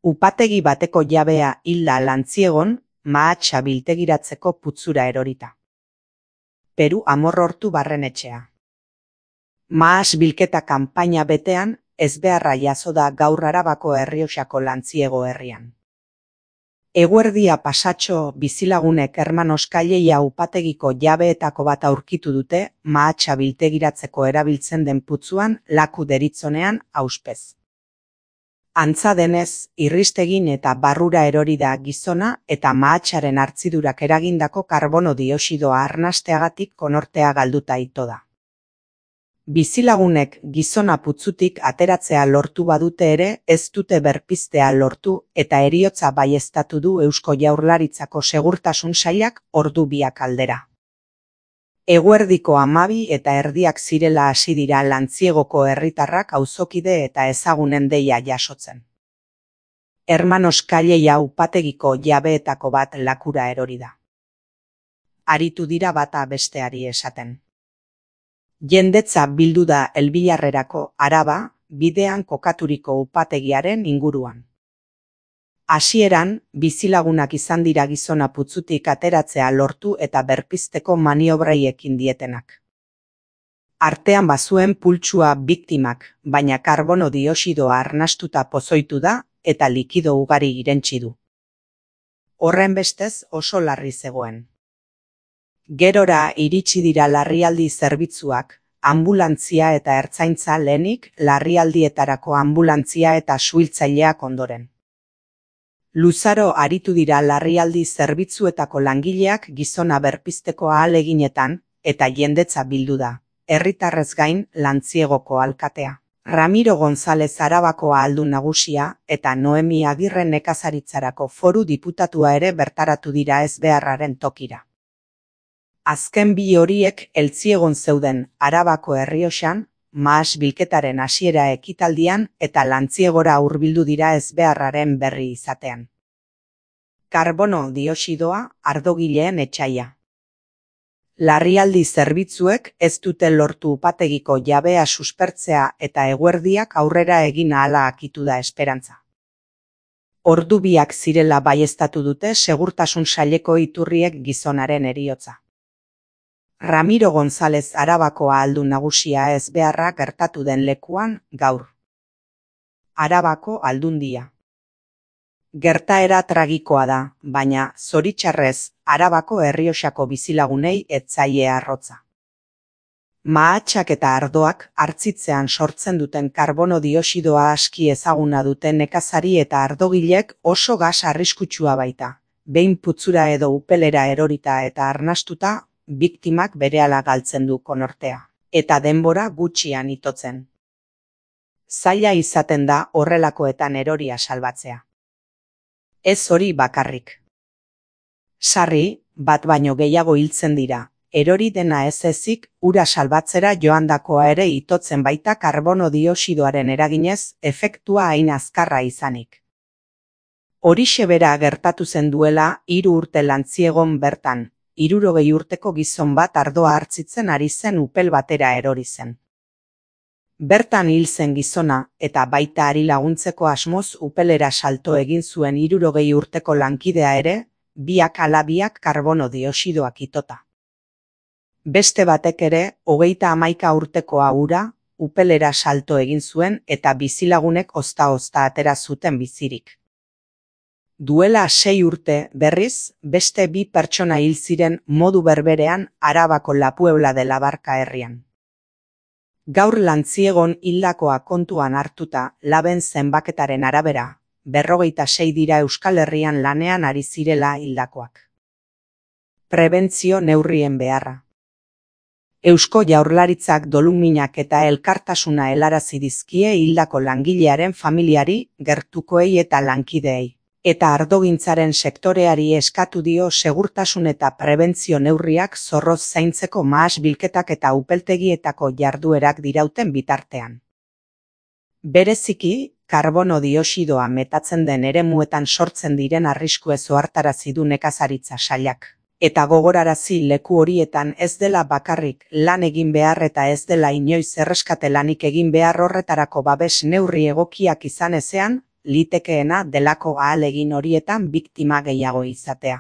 Upategi bateko jabea hilda Lantziegon, mahatsa biltegiratzeko putzura erorita. Peru Amorrortu barrenetxea. Mahats bilketa kanpaina betean, ezbeharra jazo da gaur Arabako Errioxako Lantziego herrian. Eguerdia pasatxo bizilagunek Hermanoskaileia upategiko jabeetako bat aurkitu dute mahatsa biltegiratzeko erabiltzen den putzuan laku deritzonean auspez. Antza denez, irristegin eta barrura erori da gizona eta mahatsaren hartzidurak eragindako karbono dioxidoa arnasteagatik konortea galduta ito da. Bizilagunek gizona putzutik ateratzea lortu badute ere ez dute berpiztea lortu eta heriotza baieztatu du Eusko Jaurlaritzako Segurtasun Sailak ordu biak aldera. Eguerdiko 12 eta erdiak zirela hasi dira Lantziegoko herritarrak auzokide eta ezagunen deia jasotzen. Hermanoskaileia upategiko jabeetako bat lakura erori da. Aritu dira bata besteari esaten. Jendetza bildu da Elbilarrerako Araba, bidean kokaturiko upategiaren inguruan. Hasieran, bizilagunak izan dira gizona putzutik ateratzea lortu eta berpizteko maniobrai ekin dietenak. Artean bazuen pultsua biktimak, baina karbono dioxidoa arnastuta pozoitu da eta likido ugari irentsi du. Horrenbestez oso larri zegoen. Gerora iritsi dira larrialdi zerbitzuak, anbulantzia eta ertzaintza lehenik, larrialdietarako anbulantzia eta suhiltzaileak ondoren. Luzaro aritu dira larrialdi zerbitzuetako langileak gizona berpizteko ahaleginetan eta jendetza bildu da, herritarrez gain Lantziegoko alkatea. Ramiro González Arabako ahaldun nagusia eta Noemi Agirre nekazaritzarako foru diputatua ere bertaratu dira ezbeharraren tokira. Azken bi horiek Eltziegon zeuden Arabako Errioxan, mahats bilketaren hasiera ekitaldian eta Lantziegora hurbildu dira ezbeharraren berri izatean. Karbono dioxidoa ardogileen etsaia. Larrialdi zerbitzuek ez dute lortu upategiko jabea suspertzea eta eguerdiak aurrera egin ahala akitu da esperantza. Ordu biak zirela baieztatu dute Segurtasun Saileko iturriek gizonaren heriotza. Ramiro González Arabako ahaldun nagusia ezbeharra gertatu den lekuan gaur. Arabako Aldundia. Gertaera tragikoa da, baina zoritxarrez Arabako Errioxako bizilagunei ez zaie arrotza. Mahatsak eta ardoak hartzitzean sortzen duten karbono dioxidoa aski ezaguna duten nekazari eta ardogilek oso gas arriskutsua baita. Behin putzura edo upelera erorita eta arnastuta, biktimak berehala galtzen du konortea, eta denbora gutxian itotzen. Zaila izaten da horrelakoetan eroria salbatzea. Ez hori bakarrik. Sarri, bat baino gehiago hiltzen dira, erori dena ez ezik, ura salbatzera joandakoa ere itotzen baita karbono dioxidoaren eraginez, efektua hain azkarra izanik. Horixe bera gertatu zen duela 3 urte Lantziegon bertan, 60 urteko gizon bat ardoa hartzitzen ari zen upel batera erori zen. Bertan hil zen gizona eta baita ari laguntzeko asmoz upelera salto egin zuen 60 urteko lankidea ere, biak ala biak karbono dioxidoak itota. Beste batek ere, 31 urtekoa hura, upelera salto egin zuen eta bizilagunek ozta-ozta atera zuten bizirik. Duela 6 urte, berriz, beste 2 pertsona hil ziren modu berberean Arabako La Puebla de la Barca herrian. Gaur Lantziegon hildakoa kontuan hartuta, laben zenbaketaren arabera, 56 dira Euskal Herrian lanean ari zirela hildakoak. Prebentzio neurrien beharra. Eusko Jaurlaritzak doluminak eta elkartasuna helarazi dizkie hildako langilearen familiari, gertukoei eta lankideei. Eta ardogintzaren sektoreari eskatu dio segurtasun eta prebentzio neurriak zorroz zaintzeko mahats bilketak eta upeltegietako jarduerak dirauten bitartean. Bereziki, karbono dioxidoa metatzen den eremuetan sortzen diren arriskuez ohartarazi du nekazaritza sailak. Eta gogorarazi leku horietan ez dela bakarrik lan egin behar eta ez dela inoiz erreskate lanik egin behar horretarako babes neurri egokiak izan ezean, litekeena delako ahalegin horietan biktima gehiago izatea.